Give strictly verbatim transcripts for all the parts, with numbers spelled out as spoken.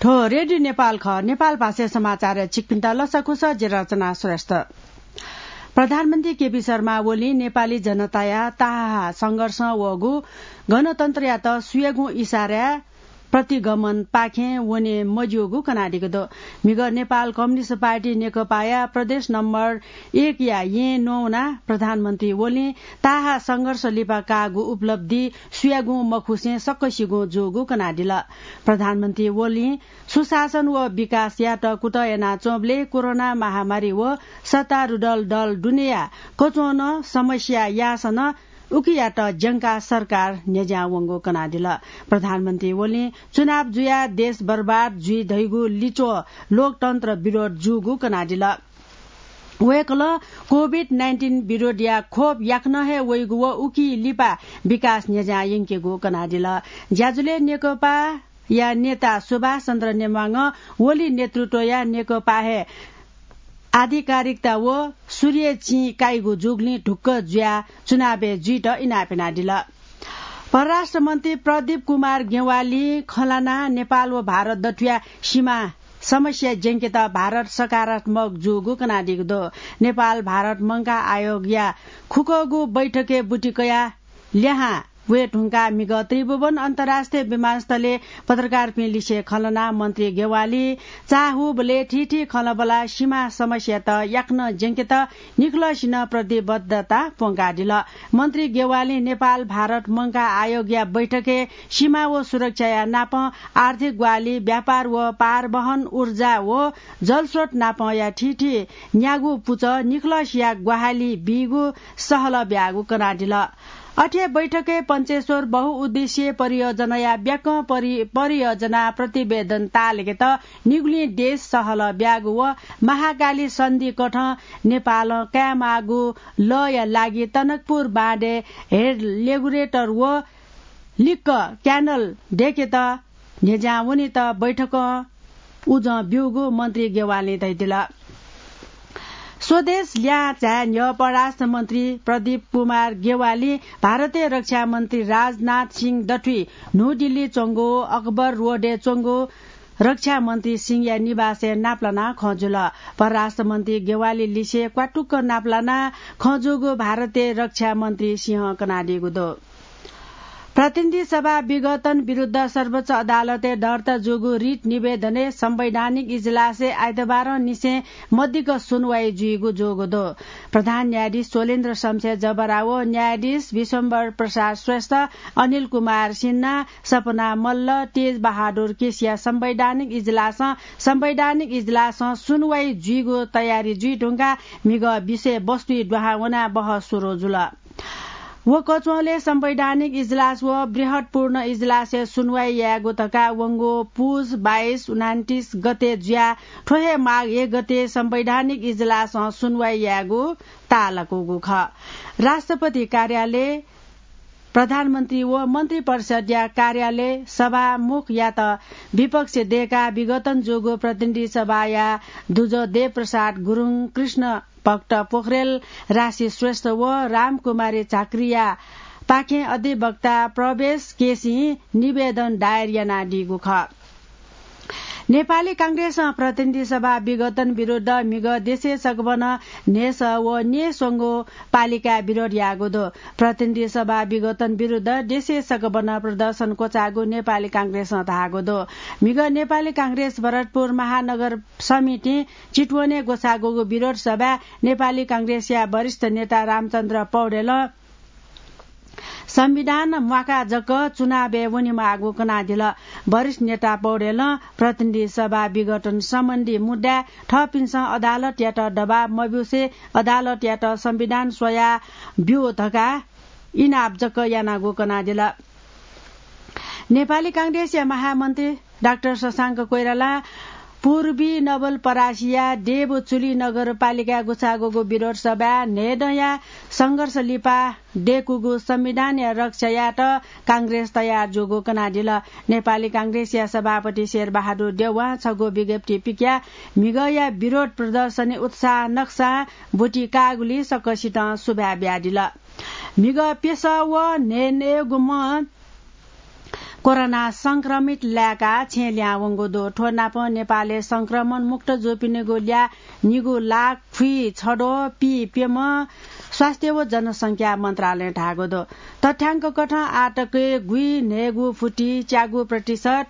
थ्व रेडियो नेपाल खः। नेपाल भाषाय् समाचार छिकपिन्त लसकुस, जि रचना श्रेष्ठ। प्रधानमन्त्री केपी शर्मा ओलीं नेपाली जनताया ताहाः संघर्षं वःगु गणतन्त्रयात सुयागुं इसाराय् प्रतिगमनपाखें वने मज्यूगु कनादीगु दु। म्हिगः नेपाल कम्युनिस्ट पार्टी नेकपाया प्रदेश नम्बर एकया येँ न्ववानाः प्रधानमन्त्री ओलीं ताहाः संघर्ष लिपा काःगु उपलब्धि सुयागुं मखुसें सकसिगुं जूगु कनादिल। प्रधानमन्त्री ओलीं सुशासन व विकासयात कुतः यानाच्वंबलय् कोरोना महामारी व सत्तारूढल दल दुनेया कच्वनं समस्या याःसां नं उकियात ज्यंकाः सरकार न्ह्यज्यां वंगु कनादिल। प्रधानमन्त्री ओलीं चुनाव जुयाः देश बर्बाद जुइ धइगु लिच्वः लोकतन्त्र विरोध जूगु कनादिल। वय्कलं कोभिड नाइन्टिन विरोधया खोप याकनं हे वइगु व उकी लिपा विकास न्ह्यज्यां यंकेगु कनादिल। ज्याझ्वलय् नेकपाया नेता सुभाष चन्द्र नेमाङं ओली नेतृत्वया नेकपा हे आधिकारिकता व सूर्य चिं काइगु जूगुलिं ढुक्क जुयाः चुनावय् जुइत इनाप यानादिल। परराष्ट्र मन्त्री प्रदीप कुमार गेवालीं खँ ल्हानाः नेपाल व भारत दथुया सीमा समस्या ज्यंकेत भारत सकारात्मक जूगु कनादीगु दु। नेपाल भारत मंकाः आयोगया खुक्कगू बैठकय् बुति कयाः ल्याहां वये धुंकाः म्हिगः त्रिभुवन अन्तर्राष्ट्रिय विमानस्थलय् पत्रकारपिं लिसे खँ ल्हानाः मन्त्री गेवालीं चाःहुबलय् थीथी खँल्हाबल्हा सीमा समस्यात याकनं ज्यंकेत निखलसिनं प्रतिबद्धता प्वंकादिल। मन्त्री गेवालीं नेपाल भारत मंकाः आयोगया बैठकय् सीमा व सुरक्षाया नापं आर्थिक ग्वाहालि, व्यापार व पारवहन, ऊर्जा व जलस्रोत नापंया थीथी न्यागू पुचः निखलसिया ग्वाहालि बीगु सहलह ब्याःगु कनादिल। अथे बैठकय् पञ्चेश्वर बहुउद्देश्यीय परियोजनाया ब्याकं परि-, परियोजना प्रतिवेदन ताःलेकेत निगुलिं देश सहलह ब्याःगु व महाकाली सन्धि कथं नेपालं कायेमाःगु लःया लागि टनकपुर बाँधय् हेड रेगुलेटर व लिक्क क्यानल दयेकेत न्ह्यज्यां वनेत बैठकं उजं ब्यूगु मन्त्री गेवालीं धयादिल। स्वदेश ल्याहां झाये न्ह्यः परराष्ट्र मन्त्री प्रदीप कुमार गेवालीं भारतया रक्षा मन्त्री राजनाथ सिंह दथुइ न्हू दिल्ली च्वंगु अकबर रोडय् च्वंगु रक्षा मन्त्री सिंहया निवासय् नापलानाः खँ जुल। परराष्ट्र मन्त्री गेवाली लिसे क्वातुक्क नापलानाः खँ जूगु भारतया रक्षा मन्त्री सिंहं कनादीगु दु। प्रतिनिधि सभा विघटन विरुद्ध सर्वोच्च अदालतय् दर्ता जूगु रिट निवेदनय् संवैधानिक इजलासय् आइतबारंनिसें मदिक्क सुनवाई जुइगु जूगु दु। प्रधान न्यायाधीश शैलेन्द्र शमशेर जबरा व न्यायाधीश विश्वम्भर प्रसाद श्रेष्ठ, अनिल कुमार सिन्हा, सपना मल्ल, तेज बहादुर केसीया संवैधानिक इजलासं, संवैधानिक इजलासं सुनवाई जुइगु तयारी जुइ धुंकाः म्हिगः विषयवस्तुइ दुहां वनाः बहस सुरु जुल। व कच्वलय् संवैधानिक इजलास व बृहत्पूर्ण इजलासय् सुनवाई यायेगु धकाः वंगु पुस बाइस उनान्तिस गते जुयाः थ्व हे माघ एक गते संवैधानिक इजलासं सुनवाई यायेगु ताःलाकूगु खः। राष्ट्रपति कार्यालय, प्रधानमन्त्री व मन्त्री परिषद्या कार्यालय सभामुखयात विपक्ष दय्काः विघटन जूगु प्रतिनिधि सभाया दुजः देवप्रसाद गुरुङ, कृष्ण भक्त पोखरेल, राशि श्रेष्ठ व रामकुमारी झाँक्रीया पाखें अधिवक्ता प्रवेश केसीं निवेदन दायर यानादीगु खः। नेपाली कांग्रेसं प्रतिनिधि सभा विघटन विरुद्ध म्हिगः देशय् सकभनं न्हय्सः व न्यय्स्वंगू पालिकाय् विरोध याःगु दु। प्रतिनिधि सभा विघटन विरुद्ध देशय् सकभनं प्रदर्शन क्वचाःगु नेपाली कांग्रेसं धाःगु दु। म्हिगः नेपाली कांग्रेस भरतपुर महानगर समितिं चितवनय् ग्वसाःगु विरोध सभाय् नेपाली कांग्रेसया वरिष्ठ नेता रामचन्द्र पौडेलं संविधान म्वाकाः जक चुनावय् वनेमाःगु कनादिल। वरिष्ठ नेता पौडेलं प्रतिनिधि सभा विघटन सम्बन्धी मुद्दाय् थःपिन्सं अदालतयात दबाब मब्यूसे अदालतयात संविधान स्वया ब्यू धकाः इनाप जक यानागु कनादिल। नेपाली कांग्रेसया महामन्त्री डाक्टर शशांक कोइरालां पूर्वी नवलपरासीया देवचुली नगरपालिकाय् गुछागुगु विरोध सभाय् न्हय्दँया संघर्ष लिपा दय्कूगु संविधानया रक्षा यायेत कांग्रेस तयार जूगु कनादिल। नेपाली कांग्रेसया सभापति शेरबहादुर देउवां छगू विज्ञप्ति पिकयाः म्हिगःया विरोध प्रदर्शनय् उत्साह नकसां ब्वति काःगुलिं सकसितं सुभाय् बियादिल। म्हिगः प्यसः व न्हय्न्हय्गुम्ह कोरोना संक्रमित लाय्काः छेँ ल्याहां वंगु दु। थ्व नापं नेपालय् संक्रमण मुक्त जूपिनिगु ल्याः निगू लाख खुइछदँ, पीप्यम्ह स्वास्थ्य व जनसंख्या मन्त्रालयं धाःगु दु। तथ्याङ्क कथं आःतकय् गुइन्हय्गू फुति च्यागू प्रतिशत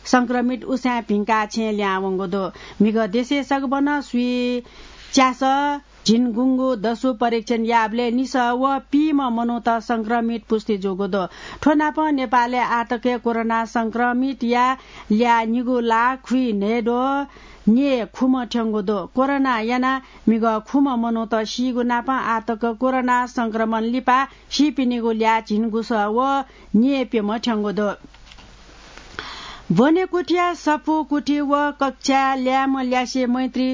संक्रमित उसाँय् भिंकाः छेँ ल्याहां वंगु दु। म्हिगः देशय् सगबनं स्वीच्यासः झिंगुंगू दसु परीक्षण याःबलय् निसः व पीम्ह मनूत संक्रमित पुष्टि जूगु दु। थ्व नापं नेपालय् आःतकय् कोरोना संक्रमितया ल्याः निगू लाख खुइन्हय्द्वः न्येखुम्ह थ्यंगु दु। कोरोना यानाः म्हिगः खुम्ह मनूत सीगु नापं आःतक कोरोना संक्रमण लिपा सीपिनिगु ल्याः झिंगुसः व न्येप्यम्ह थ्यंगु दु। ब्वनेकुथिया सफू कुथि व कक्षाय् ल्याय्म्ह ल्यासे मैत्री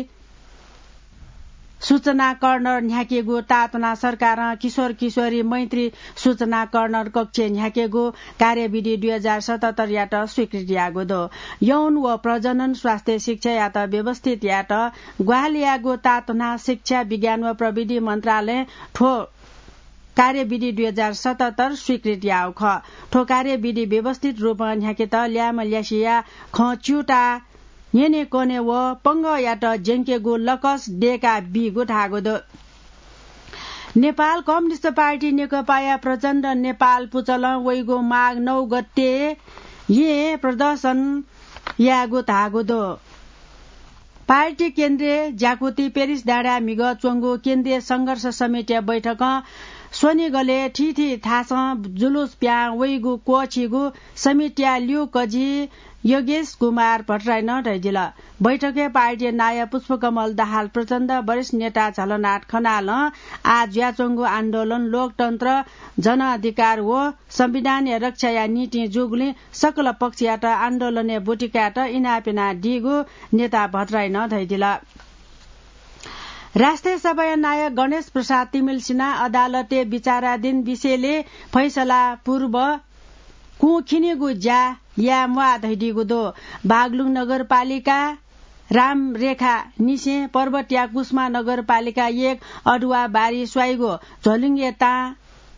सूचना कर्नर न्ह्याकेगु ताःतुना सरकारं किशोर किशोरी मैत्री सूचना कर्नर कक्षय् न्ह्याकेगु कार्यविधि दुई हजार सतहत्तरयात स्वीकृति याःगु दु। यौन व प्रजनन स्वास्थ्य शिक्षायात व्यवस्थित यायेत ग्वाहालि याःगु ताःतुना शिक्षा, विज्ञान व प्रविधि मन्त्रालयं थ्व कार्यविधि दुई हजार सतहत्तर स्वीकृति याःगु खः। थ्व कार्यविधि व्यवस्थित रूपं न्ह्याकेत ल्याय्म्ह ल्यासेया खँ च्यूताः न्यनेकने व पंगःयात ज्यंकेगु लकस दय्का बीगु धाःगु दु। नेपाल कम्युनिस्ट पार्टी नेकपाया प्रचण्ड नेपाल पुचलं वइगु माघ नौ गते येँ प्रदर्शन यायेगु धाःगु दु। पार्टी केन्द्रीय ज्याकुथि पेरिस डाँडाय् म्हिगः च्वंगु केन्द्रीय संघर्ष समितिया बैठकं स्वनिगलय् थीथी थासं जुलुस पिहां वइगु क्वःछिइगु समितिया ल्यूकजि योगेश कुमार भट्टराईं धयादिल। बैठकय् पार्टीया नायः पुष्पकमल दाहाल प्रचण्ड, वरिष्ठ नेता झलनाथ खनालं आः जुयाच्वंगु आन्दोलन लोकतन्त्र, जनअधिकार व संविधानया रक्षाया निंतिं जूगुलिं सकल पक्षयात आन्दोलनय् ब्वति कायेत इनाप यानादीगु नेता भट्टराईं धयादिल। राष्ट्रिय सभाया नायः गणेश प्रसाद तिमिल्सिनां अदालतय् विचाराधीन विषयलय् फैसला पूर्व कुंखिनेगु ज्या याये म्वाः धयादीगु दु। बागलुङ नगरपालिका रामरेखा निसें पर्वतया कुसमा नगरपालिका एक अदुवाबारी स्वाइगु झोलुङ्गे तां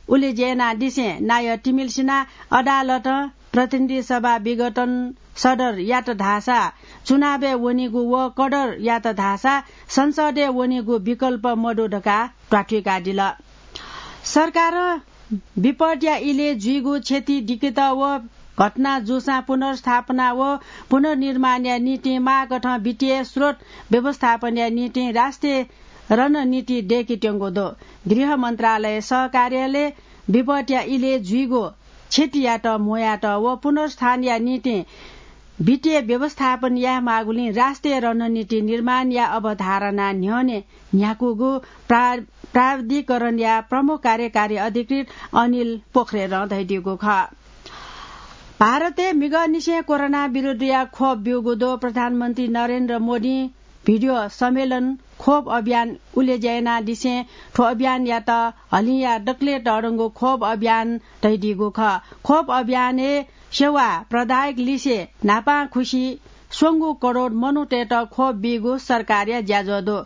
उलेज्या यानादिसें नायः तिमिल्सिनां अदालतं प्रतिनिधि सभा विघटन सदर यात धाःसा चुनावय् वनीगु व कडर यात धाःसा संसदय् वनीगु विकल्प मदु धकाः ध्वाथुइकादिल। सरकारं विपदया इलय् जुइगु क्षति दिकेत व घटना जूसां पुनर्स्थापना व पुनर्निर्माणया निंतिं माःकथं वित्तीय स्रोत व्यवस्थापनया निंतिं राष्ट्रिय रणनीति दय्केत्यंगु दु। गृह मन्त्रालय सहकार्यालयं विपदया इलय् जुइगु क्षतियात म्हुयात व पुनर्स्थापनाया निंतिं वित्तीय व्यवस्थापन यायेमाःगुलिं राष्ट्रिय रणनीति निर्माणया अवधारणा न्ह्यःने न्ह्याकूगु प्रा-, प्राधिकरणया प्रमुख कार्यकारी अधिकृत अनिल पोखरेलं धयादीगु खः। भारतय् म्हिगःनिसें कोरोना विरुद्धया खोप ब्यूगु दु। प्रधानमन्त्री नरेन्द्र मोदीं भिडियो सम्मेलन खोप अभियान उलेज्या यानादिसें थ्व अभियानयात हलिंया दकलय् तःधंगु खोप अभियान धयादीगु खः। खोप अभियानय् सेवा प्रदायक लिसे न्हापां खुसि स्वंगू करोड मनूतय्त खोप बीगु सरकारया ज्याझ्वः दु।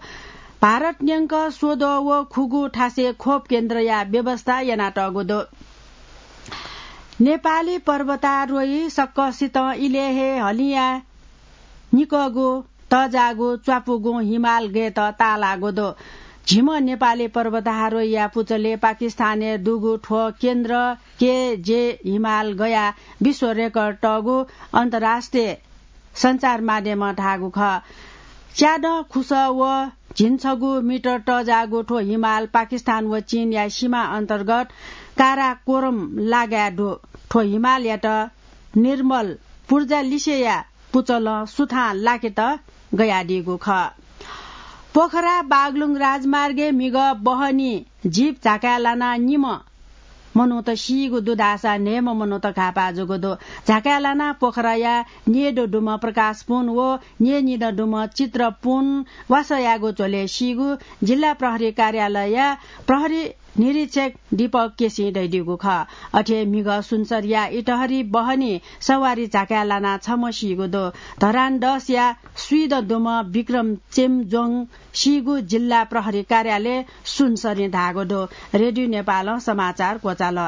भारत न्यंक स्वद्वः व खुगू थासय् खोप केन्द्रया व्यवस्था यानातःगु दु। नेपाली पर्वतारोही सकसितं इलय् हे हलिंया निकःगु तःजाःगु च्वापुगुं हिमाल गयेत ताःलाःगु दु। झिम्ह नेपाली पर्वतारोहीया पुचलय् पाकिस्तानय् दुगु थ्व केन्द्र के जे हिमाल गयाः विश्व रेकर्ड तःगु अन्तर्राष्ट्रिय सञ्चार माध्यमं धाःगु खः। च्यादँ खुसः व झिंछगू मिटर तःजाःगु थ्व हिमाल पाकिस्तान व चीनया सीमा अन्तर्गत काराकोरम लागाय् दु। थ्व हिमालयात निर्मल पूर्जा लिसेया पुचलं सुथां लाकेत गयादीगु खः। पोखरा बागलुङ राजमार्गय् म्हिगः बहनी जीप झाकाय् लानाः निम्ह मनूत सीगु दु धाःसा न्हय्म्ह मनूत घाःपाः जूगु दु। झाकाय् लानाः पोखराया न्येदँ दुम्ह प्रकाश पुन व न्येनिदँ दुम्ह चित्र पुन वासः याःगु झ्वलय् सीगु जिल्ला प्रहरी कार्यालयया प्रहरी निरीक्षक दीपक केसीं धयादीगु खः। अथे म्हिगः सुनसरीया इटहरी बहनी सवारी झाकाय् लानाः छम्ह सीगु दु। धरान दसया स्वीदँ दुम्ह विक्रम चेम्जोङ सीगु जिल्ला प्रहरी कार्यालय सुनसरीं धाःगु दु। रेडियो नेपालं समाचार क्वचाल।